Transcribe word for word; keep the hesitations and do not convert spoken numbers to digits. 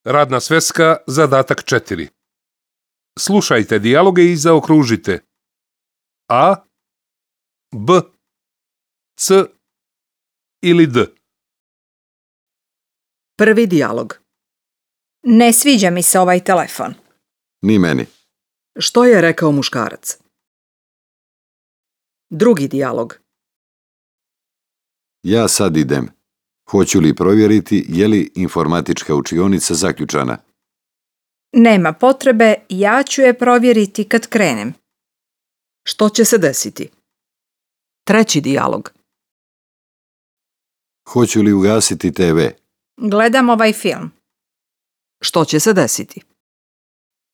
Radna sveska, zadatak četiri. Slušajte dijaloge i zaokružite A, B, C ili D. Prvi dijalog. Ne sviđa mi se ovaj telefon. Ni meni. Što je rekao muškarac? Drugi dijalog. Ja sad idem. Hoću li provjeriti je li informatička učionica zaključana? Nema potrebe, ja ću je provjeriti kad krenem. Što će se desiti? Treći dijalog. Hoću li ugasiti te ve? Gledam ovaj film. Što će se desiti?